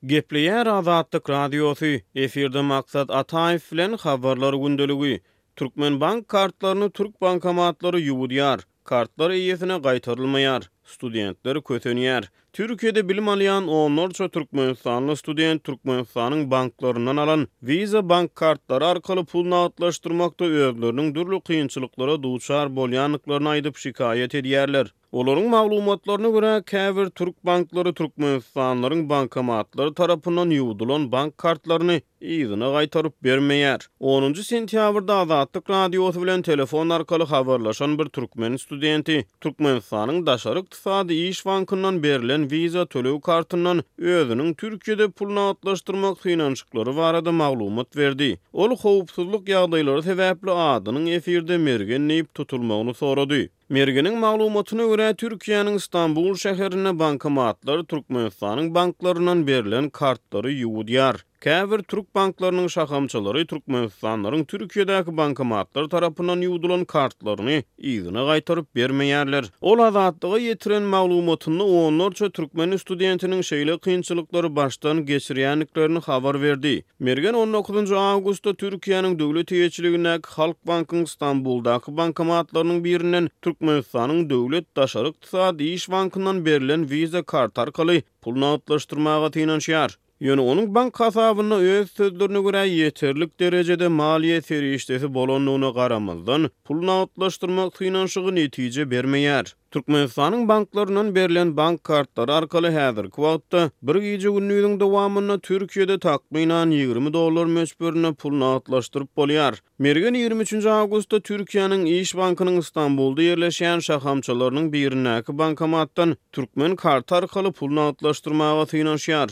Gepleýär Azatlyk Radiosy, efirde Maksat Ataýew bilen Habarlar gündeligi. Türkmen bank kartlaryny türk bankomatlary ýuwudýar. Kartlar eýesine gaýtarylmaýar. Studentler kösenýär. Türkiýede bilim alýan onlarça türkmenistanly student Türkmenistanyň banklaryndan alan Visa bank kartlary arkaly pul nagtlaşdyrmakda özleriniň dürli kynçylyklara duçar bolýandyklaryny aýdyp şikaýat edýärler. Olaryň maglumatlaryna görä, käbir türk banklary türkmenistanlylaryň bankomatlary tarapyndan ýuwdulan bank kartlaryny yzyna gaýtaryp bermeýär. Onunjy sentýabrda Azatlyk Radiosy bilen telefon arkaly habarlaşan bir türkmen studenti Türkmenistanyň Daşary ykdysady iş bankyndan berlen Visa töleg kartyndan özüniň Türkiýede pul nagtlaşdyrmak synanyşyklary barada maglumat berdi. Ol howpsuzlyk ýagdaýlary sebäpli adynyň efirde Mergen diýip tutulmagyny sorady. Mergeniň maglumatyna görä, Türkiýäniň Stambul şäherinde bankomatlar Türkmenistanyň banklaryndan berlen kartlary ýuwudýar. Käbir türk banklarynyň şahamçalary türkmenistanlylaryň Türkiýedäki bankomatlar tarapyndan ýuwdulan kartlaryny yzyna gaýtaryp bermeýärler. Ol Azatlyga ýetiren maglumatynda onlarça türkmen studentiniň şeýle kynçylyklary başdan geçirýändiklerini habar berdi. Mergen on dokuzynjy awgustda Türkiýäniň döwlet eýeçiligindäki Halkbankyň Stambuldaky bankomatlarynyň birinden Türkmenistanyň Döwlet daşary ykdysady iş bankyndan berlen Visa karty arkaly pul nagtlaşdyrmaga synanyşýar. Ýöne onuň bank hasabynda öz sözlerine görä ýeterlik derejede maliýe serişdesi bolandygyna garamazdan, pul nagtlaşdyrmak synanyşygy netije bermeýär. Türkmenistanyň banklaryndan berlen bank kartlary arkaly häzirki wagtda bir gije-gündiziň dowamynda Türkiýede takmynan 20 dollar möçberinde pul nagtlaşdyryp bolýar. Mergen 23 awgustda Türkiýäniň Iş bankynyň Stambulda ýerleşýän şahamçalarynyň birindäki bankomatdan türkmen karty arkaly pul nagtlaşdyrmaga synanyşýar.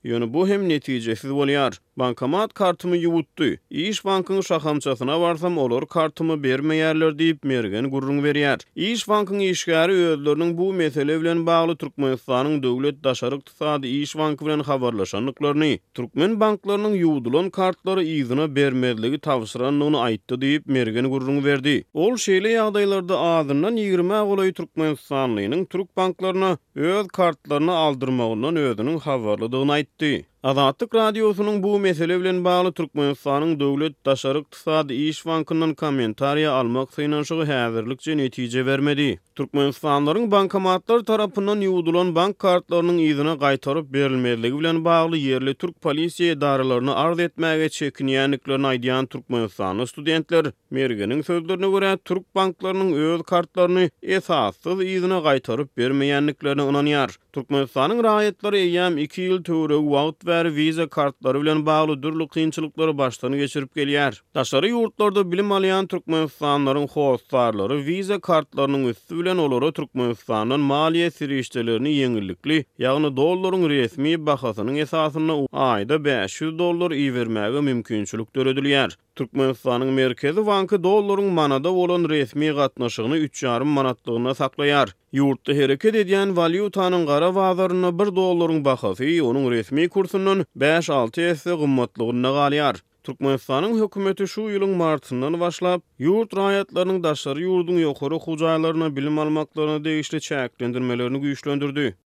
Ýöne bu hem netijesiz bolýar. Bankomat kartymy ýuwutdy. Iş bankyň şahamçasyna barsam, olar kartymy bermeýärler diýip, Mergen gürrüň berýär. Iş bankyň işgäri özleriniň bu mesele bilen bagly Türkmenistanyň Döwlet daşary ykdysady iş banky bilen habarlaşandyklaryny, türkmen banklarynyň ýuwdulan kartlary yzyna bermezligi tabşyrandygyny aýtdy diýip, Mergen gürrüň berdi. Ol şeýle ýagdaýlarda azyndan ýigrimä golaý türkmenistanlynyň türk banklaryna öz kartlaryny aldyrmagyndan özüniň habarlydygyny aýtdy. Azatlyk Radiosynyň bu mesele bilen bagly Türkmenistanyň Döwlet daşary ykdysady iş bankyndan kommentariýa almak synanyşygy häzirlikçe netije bermedi. Türkmenistanlylaryň bankomatlar tarapyndan ýuwdulan bank kartlarynyň yzyna gaýtaryp berilmezligi bilen bagly ýerli türk polisiýa edaralaryna arz etmäge çekinýändiklerini aýdýan türkmenistanly studentler Mergeniň sözlerine görä, türk banklarynyň öz kartlaryny esassyz yzyna gaýtaryp bermeýändiklerine ynanýar. Türkmenistanyň raýatlary eýýäm iki ýyl töweregi wagt bäri wiza kartlary bilen bagly dürli kynçylyklary başdan geçirip gelýär. Daşary ýurtlarda bilim alýan türkmenistanlylaryň hossarlary wiza kartlarynyň üsti bilen olara Türkmenistandan maliýe serişdelerini ýeňillikli, ýagny dollaryň resmi bahasynyň esasynda aýda 500 dollar ibermäge mümkinçilik döredilýär. Türkmenistanyň Merkezi banky dollaryň manada bolan resmi gatnaşygyny üç ýarym manatlygynda saklaýar. Ýurtda hereket edýän walýutanyň gara bazarynda bir dollaryň bahasy onuň resmi kursundan bäş-alty esse gymmatlygynda galýar. Türkmenistanyň hökümeti şu ýylyň martyndan başlap, ýurt raýatlarynyň daşary ýurduň ýokary okuw jaýlarynda bilim almaklaryna degişli çäklendirmelerini güýçlendirdi.